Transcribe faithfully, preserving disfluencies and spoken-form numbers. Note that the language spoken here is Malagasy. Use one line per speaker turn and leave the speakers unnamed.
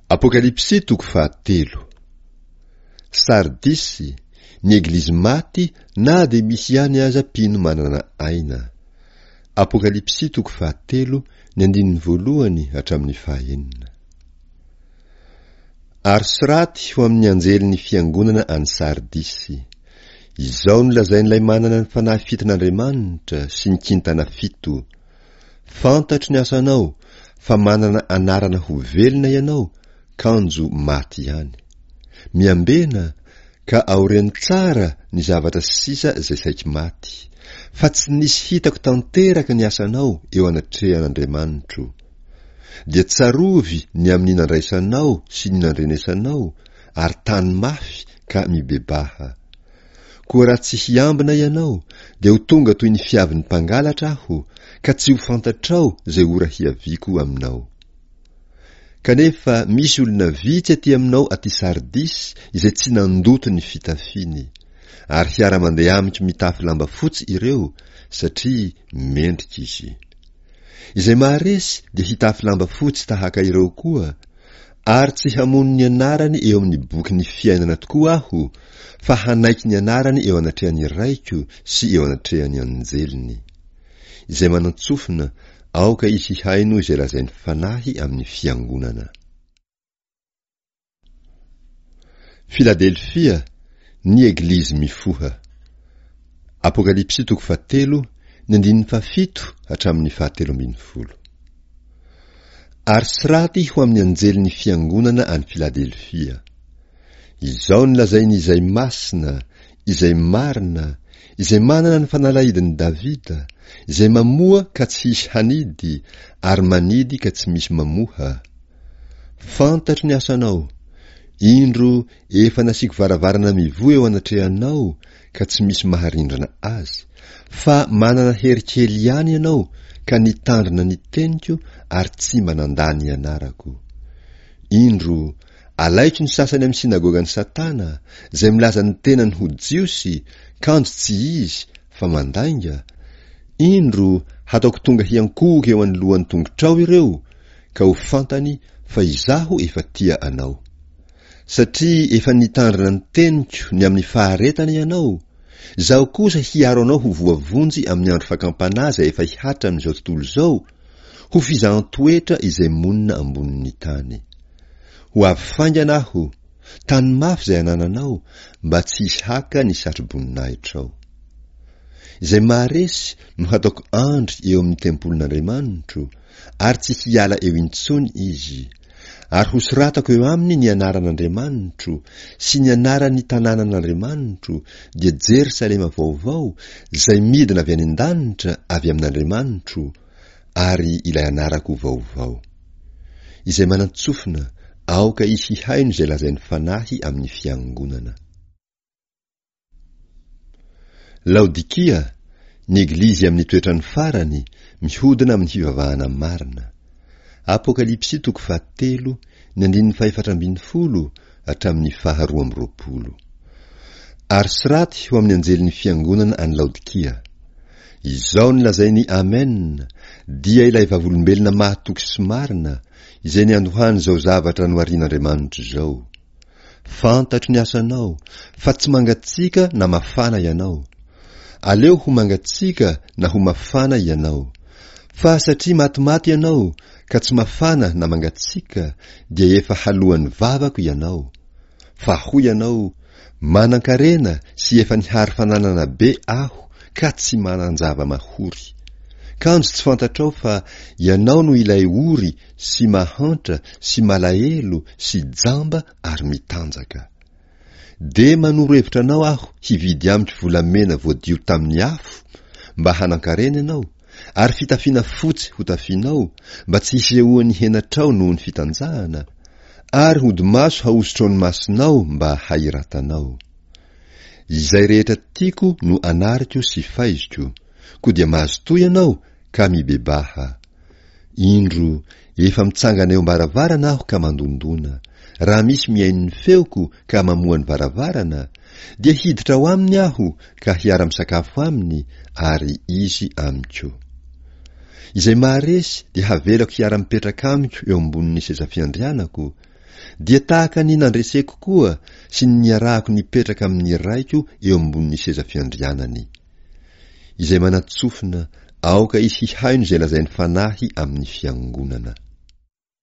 Apokalypsy toko fahatelo. Sardisy, ny eglizy maty na dia misy ihany aza mpino manana aina. Apokalypsy toko fahatelo, ny andininy voalohany hatramin'ny fahaenina. Ary soraty ho amin'ny anjelin'ny fiangonana any Sardisy. Izao no lazain'ilay manana ny fanahy fiton'Andriamanitra sy ny kintana fito. Fantatro ny asanao fa manana anarana ho velona ianao, kanjo maty ihany. Miambena ka aoreno tsara ny zavatra sisa izay saiky maty, fa tsy nisy hitako tanteraka ny asanao eo anatrehan'Andriamanitro. Dia tsarovy ny amin'ny nandraisanao sy ny nandrenesanao, ary tany mafy ka mibebaha. Koa raha tsy hiambina ianao, dia ho tonga toy ny fiavin'ny mpangalatra aho, ka tsy ho fantatrao izay ora hiaviako aminao. Kanefa misy olona vitsy aty aminao aty Sardisy izay tsy nandoto ny fitafiny, ary hiara-mandeha amiko mitafy lamba fotsy ireo, satria mendrika izy. Izay maharesy dia hitafy lamba fotsy tahaka ireo koa, ary tsy hamono ny anarany eo amin'ny bokin'ny fiainana tokoa aho, fa hanaiky ny anarany eo anatrehan'ny Raiko sy eo anatrehan'ny anjeliny. Izay manan-tsofina, aoka izy hihaino izay lazain'ny Fanahy amin'ny fiangonana. Filadelfia, ny Eglizy mifoha. Apokalypsy toko fahatelo, ny andininy fahafito hatramin'ny fahatelo ambin'ny folo. Ary soraty ho amin'ny anjelin'ny fiangonana any Filadelfia. Izao no lazain'izay masina, izay marina, izay manana ny fanalahidin'i Davida, izay mamoha ka tsy hisy hanidy, ary manidy ka tsy misy mamoha. Fantatro ny asanao. Indro efa nasiako varavarana mivoha eo anatrehanao ka tsy misy maharindrana azy, fa manana hery kely ihany ianao ka nitandrina ny teniko ary tsy mba nandà ny anarako. Indro, alaiko ny sasany amin'ny synagogan'i Satana, izay milaza ny tenany ho Jiosy, kanjo tsy izy, fa mandainga. Indro, hataoko tonga hiankohoka eo anoloan'ny tongotrao ireo, ka ho fantany fa izaho efa tia anao. Satria efa nitandrina ny teniko ny amin'ny faharetana ianao, izaho kosa hiaro anao ho voavonjy amin'ny andro fakam-panahy izay efa hihatra amin'izao tontolo izao, ho fizahan-toetra izay monina ambonin'ny tany. Ho avy faingana aho, tany mafy izay anananao, mba tsy hisy haka ny satro-boninahitrao. Izay maharesy no hataoko andry eo amin'ny tempolin'Andriamanitro, ary tsy hiala eo intsony izy. Ary hosoratako eo aminy ny anaran'Andriamanitro sy ny anaran'ny tanànan'Andriamanitro, dia Jerosalema vaovao, izay midina avy any an-danitra avy amin'Andriamanitro, ary ilay anarako vaovao. Izay manan-tsofina, aoka izy hihaino izay lazain'ny Fanahy amin'ny fiangonana. Laodikia, ny Eglizy amin'ny toetrany farany, mihodina amin'ny fivavahana marina. Apokalypsy toko fahatelo, ny andininy fahefatra ambin'ny folo hatramin'ny faharoa amby roapolo. Ary soraty ho amin'ny anjelin'ny fiangonana any Laodikia. Izao no lazain'i Amen, dia ilay vavolombelona mahatoky sy marina, izay niandohan'izao zavatra noharian'Andriamanitra izao. Fantatro ny asanao, fa tsy mangatsiaka na mafana ianao. Aleo ho mangatsiaka na ho mafana ianao. Fa satria matimaty ianao, ka tsy mafana na mangatsiaka, dia efa haloan'ny vavako ianao. Fa hoy ianao, Manan-karena sy efa nihary fananana be aho ka tsy manan-java-mahory. Kanjo tsy fantatrao fa ianao no ilay ory sy mahantra sy malahelo sy jamba ary mitanjaka. Dia manoro hevitra anao aho hividy amiko volamena voadio tamin'ny afo mba hanan-karena ianao, ary fitafiana fotsy hotafianao mba tsy hisehoan'ny henatrao noho ny fitanjahana, ary hodi-maso hahosotrao ny masonao mba hahiratanao. Izay rehetra tiako no anariko sy faiziko, koa dia mazotoa ianao ka mibebaha. Indro, efa mitsangana eo am-baravarana aho ka mandondona. Raha misy mihaino ny feoko ka mamoha ny varavarana, dia hiditra ao aminy aho ka hiara-misakafo aminy ary izy amiko. Izay maharesy dia havelako hiara-mipetraka amiko eo ambonin'ny seza fiandrianako, Dia tahaka ny nandreseko koa sy ny niarahako nipetraka amin'ny Raiko eo ambonin'ny seza fiandrianany. Izay manan-tsofina, aoka izy hihaino izay lazain'ny Fanahy amin'ny fiangonana.